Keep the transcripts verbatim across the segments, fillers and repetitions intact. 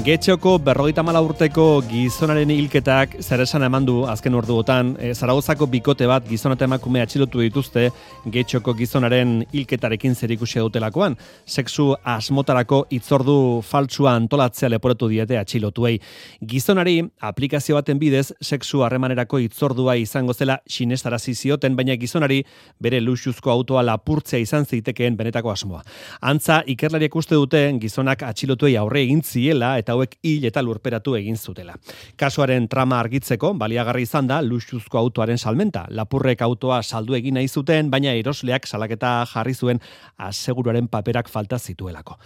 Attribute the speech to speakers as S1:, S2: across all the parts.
S1: Getxoko berrogeita hamar urteko gizonaren hilketak zer esan eman du azken orduotan. E, Zaragozako bikote bat gizon eta emakume atxilotu dituzte Getxoko gizonaren hilketarekin zerikusia dutelakoan. Sexu asmotarako hitzordu faltsua antolatzea leporatu diete atxilotuei. Gizonari aplikazio baten bidez sexu harremanerako hitzordua izango zela sinestarazi zioten, baina gizonari bere luxuzko autoa lapurtzea izan zitekeen benetako asmoa. Antza, ikerlariek uste dute gizonak atxilotuei aurre egin ziela eta hauek hil eta lurperatu egin zutela. Kasuaren trama argitzeko baliagarri izan da luxuzko autoaren salmenta. Lapurrek autoa saldu egin nahi zuten, baina erosleak salaketa jarri zuen aseguruaren paperak falta zituelako.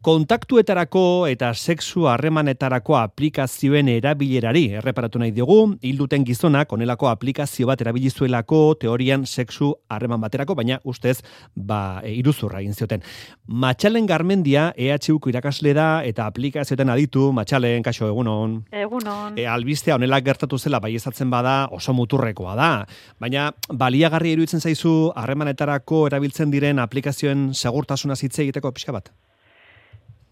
S1: Kontaktuetarako eta sexu harremanetarako aplikazioen erabilerari erreparatu nahi diogu, hil duten gizonak onelako aplikazio bat erabili zuelako teorian sexu harreman baterako, baina ustez ba e, iruzurra egin zioten. Matxalen Garmendia E H Uko irakasle da eta aplikazioetan aditu. Matxalen, kaixo, egunon.
S2: Egunon.
S1: E, albistea honela gertatu zela baieztatzen bada oso muturrekoa da, baina baliagarri iruditzen zaizu harremanetarako erabiltzen diren aplikazioen segurtasuna hitz egiteko pixka bat?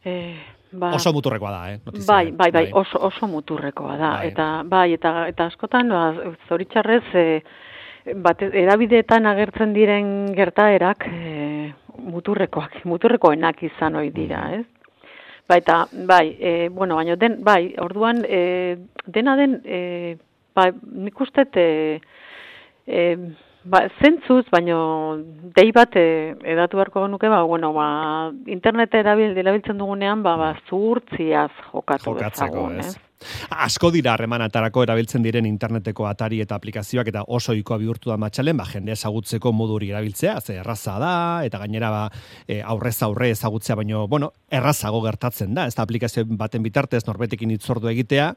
S2: Eh, ba,
S1: oso muturrekoa da, eh? Notizia,
S2: bai, bai, bai, oso, oso muturrekoa da. Bai. Eta bai, eta, eta askotan, ba, zoritxarrez, eh, bat, erabideetan agertzen diren gertaerak eh, muturrekoak, muturrekoenak izan ohi dira, ez? Bai, eta, bai, e, bueno, baina den, bai, orduan, e, dena den, e, ba, nik uste, e, e, ba, zentzuz, baina dei bat e, edatu beharko nuke, ba, bueno, ba, internet erabil, erabiltzen dugunean, ba, ba, zuhurtziaz jokatu dezagun, ez?
S1: Asko dira harremanetarako erabiltzen diren interneteko atari eta aplikazioak eta oso ohikoa bihurtu da Matxalen, ba, jende ezagutzeko moduri erabiltzea, ze erraza da, eta gainera ba, e, aurrez aurre ezagutzea, baino, bueno, errazago gertatzen da, ez da aplikazio baten bitartez norbetekin hitzordu egitea.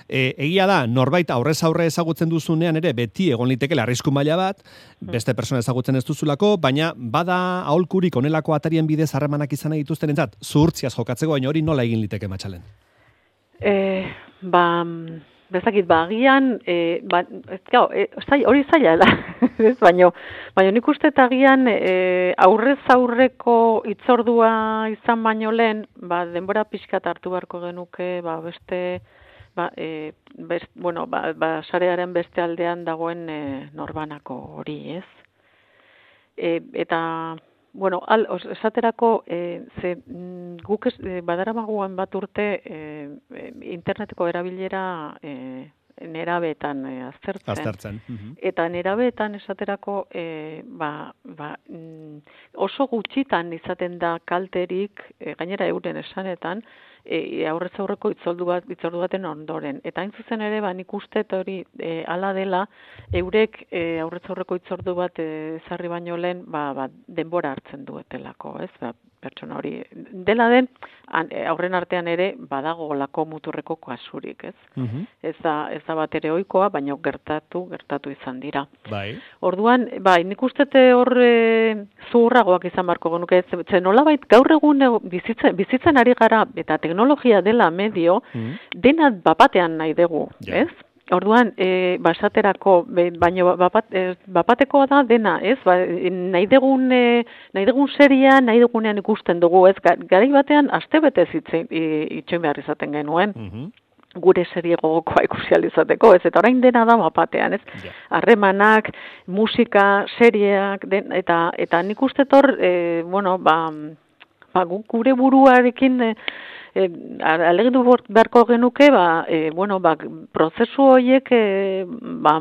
S1: E, egia da, norbait aurrez aurre ezagutzen duzunean ere beti egon litekela arrisku maila bat, beste persona ezagutzen ez duzulako, baina bada aholkurik onelako atarien bidez harremanak izan nahi dituztenentzat, zuhurtziaz jokatzeko, baina hori nola egin liteke Matxalen?
S2: Eh, ba, bezakit, ba, agian, eh, ba, ez, gau, eh, hori zaila da, ez, baino, baino nik uste eta agian eh, aurrez aurreko hitzordua izan baino lehen, ba, denbora pixkat hartu beharko genuke, ba, beste, ba, eh, best, bueno, ba, ba, sarearen beste aldean dagoen eh, norbanako hori, ez? Eh, eta... Bueno, al, os, esaterako, e, ze, guk ez, e, badaramagoen bat urte e, interneteko erabilera e, nerabeetan e, aztertzen.
S1: Aztertzen. Uh-huh.
S2: Eta nerabeetan esaterako e, ba, ba, oso gutxitan izaten da kalterik, e, gainera euren esanetan, e, aurrez aurreko itzordu bat, itzordu baten ondoren. Eta hain zuzen ere, ba, nik uste hori e, ala dela, eurek e, aurrez aurreko itzordu bat ezarri baino lehen, ba, ba, denbora hartzen duetelako, ez? Ba, pertsona hori dela den, an, aurren artean ere badago lako muturreko kasurik, ez? Uh-huh. Ez da, ez da bat ere ohikoa, baina gertatu, gertatu izan dira.
S1: Bai.
S2: Orduan, bai, nik uste hor e, zuhurragoak izan barko genuke, ze nolabait gaur egun bizitzen, bizitzen ari gara, eta teknologia dela medio, uh-huh. dena bapatean nahi dugu, yeah. ez? Orduan, e, basaterako, baino bapat, e, bapatekoa da dena, ez? Ba, nahi dugun, e, nahi dugun seria, nahi dugunean ikusten dugu, ez? Garai batean, astebetez itxoin behar izaten genuen. Uh-huh. Gure serie gogokoa ikusializateko, ez? Eta orain dena da bapatean, ez? Harremanak, yeah. musika, seriak, den, eta, eta nik uste hor, e, bueno, ba, ba, gure buruarekin... E, E, alegindu beharko genuke, ba, e, bueno, ba, prozesu horiek e, ba,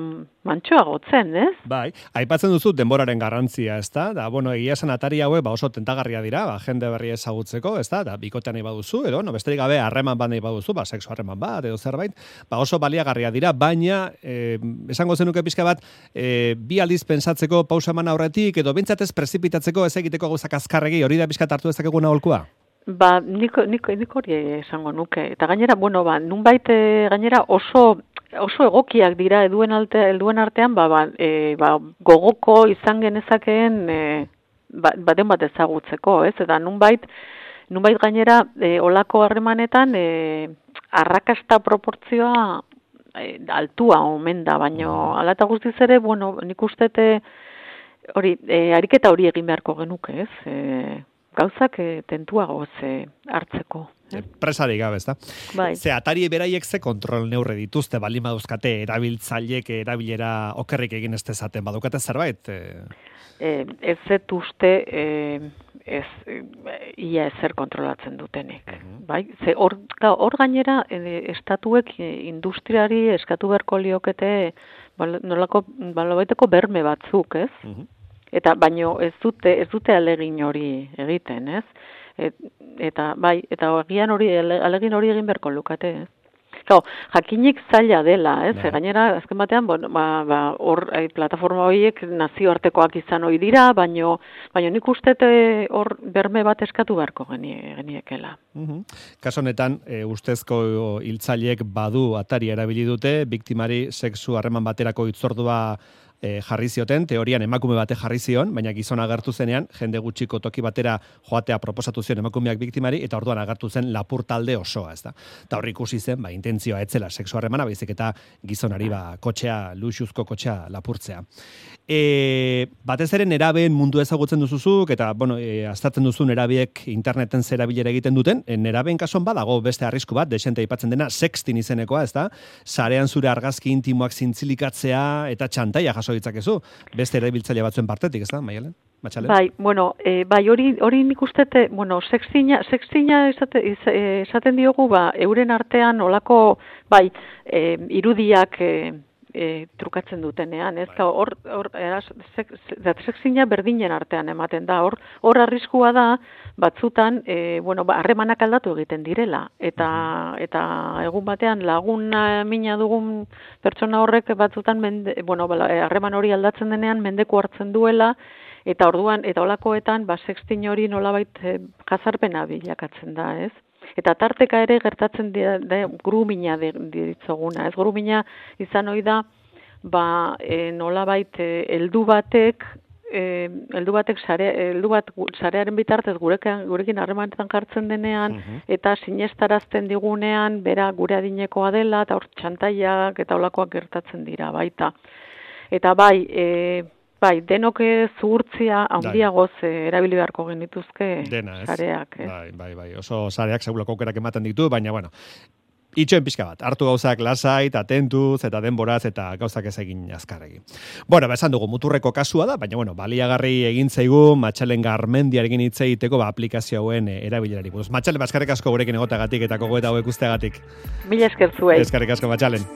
S2: mantxoagotzen, ez?
S1: Bai, aipatzen duzu denboraren garrantzia, ez da? Da, bueno, egia esan atari haue, ba, oso tentagarria dira, ba, jende berri ezagutzeko, ez da? Da, bikotean nahi baduzu, edo, no, besterik gabe harreman bat nahi baduzu, ba, sexu harreman bat, edo zerbait, ba, oso baliagarria dira, baina, e, esango zenuke pixka bat, e, bi aldiz pensatzeko pausa eman aurretik, edo bintzatez prezipitatzeko ez egiteko gauzak azkarregi, hori da pixka hartu dezakeguna aholkua?
S2: Ba, nik, nik, nik hori esango nuke. Eta gainera, bueno, ba, nunbait gainera oso, oso egokiak dira eduen, alte, eduen artean, ba, ba, e, ba, gogoko izan genezakeen e, ba, baten bat ezagutzeko, ez? Eta nunbait, nunbait gainera e, olako harremanetan e, arrakasta proportzioa e, altua omen da, baino ala eta guztiz ere, bueno, nik ustete hori, e, ariketa hori egin beharko genuke, ez? E, gauzak e, tentuagoz e, hartzeko. Eh?
S1: Presarik gabe, ezta?
S2: Bai.
S1: Ze atari beraiek ze kontrol neurre dituzte, baldin baduzkate erabiltzaileek erabilera okerrik egin ez dezaten, badukate zerbait? E...
S2: E, ez zet uste e, ez, e, ia ezer kontrolatzen dutenek. Uh-huh. Bai? Ze hor, hor gainera e, estatuek industriari eskatu beharko liokete bal, nolako balobaiteko berme batzuk, ez? Uh-huh. Eta baino ez dute ez dute alegin hori egiten, ez? Et, eta bai, eta agian hori alegin hori egin beharko lukate, ez? Claro, jakinik zaila dela, ez? No. Gainera, azken batean, bueno, ba, ba, hor, eh, plataforma horiek nazioartekoak izan hori dira, baino, baino nik uste hor berme bat eskatu beharko geniekela.
S1: Uh-huh. Kaso honetan, e, ustezko hiltzaileek badu atari erabili dute, biktimari sexu harreman baterako hitzordua E, jarri zioten, teorian emakume bate jarri zion, baina gizona agertu zenean, jende gutxiko toki batera joatea proposatu zion emakumeak biktimari, eta orduan agertu zen lapur talde osoa, ez da. Eta horri ikusi zen, ba, intentzioa etzela sexu harremana, baizik eta gizonari ba, kotxea, luxuzko kotxea lapurtzea. E, batez ere nerabeen mundu ezagutzen duzuzuk, eta, bueno, e, aztertzen duzu nerabeek interneten zerabilera egiten duten, e, nerabeen kasuan badago beste arrisku bat, desente aipatzen dena, sextin izenekoa, ez da, sarean zure argazki intimoak zintzilikatzea, eta txantaia jaso ditzakezu, beste erabiltzaile batzuen partetik, ez da, Maialen? Matxalen?
S2: Bai, bueno, e, bai hori hori nik ustete, bueno, sextina, sextina esate, esaten diogu, ba, euren artean olako, bai, e, irudiak e, e, trukatzen dutenean, ez? Bai. Hor, hor, sexina berdinen artean ematen da, hor, hor arriskua da, batzutan, e, bueno, harremanak ba, aldatu egiten direla, eta uh-huh. eta egun batean laguna mina dugun pertsona horrek batzutan, mende, bueno, harreman hori aldatzen denean, mendeku hartzen duela, eta orduan, eta olakoetan, ba, sextin hori nolabait e, jazarpena bilakatzen da, ez? Eta tarteka ere gertatzen dira, da, grumina diritzoguna, ez? Grumina izan ohi da, ba, e, nolabait heldu batek, eh heldu batek sare heldu bat sarearen bitartez gurekin gurekin harremanetan jartzen denean uh-huh. eta sinestarazten digunean bera gure adinekoa dela eta hor txantaiak eta holakoak gertatzen dira baita. Eta bai, e, bai, denok zuhurtzia handiagoz erabili beharko genituzke sareak, eh?
S1: Bai, bai, bai. Oso sareak segulako aukerak ematen ditu, baina bueno, itxoen pixka bat, hartu gauzak lasait, atentuz, eta denboraz, eta gauzak ez egin azkarregi. Bueno, ba, esan dugu, muturreko kasua da, baina, bueno, baliagarri egin zaigu, Matxalen Garmendiarekin hitz egiteko, ba, aplikazio hauen erabilerari. Buruz, Matxalen, ba, eskerrik asko gurekin egotagatik, eta gogoeta hauek usteagatik.
S2: Mila esker zuei.
S1: Eskerrik asko, Matxalen.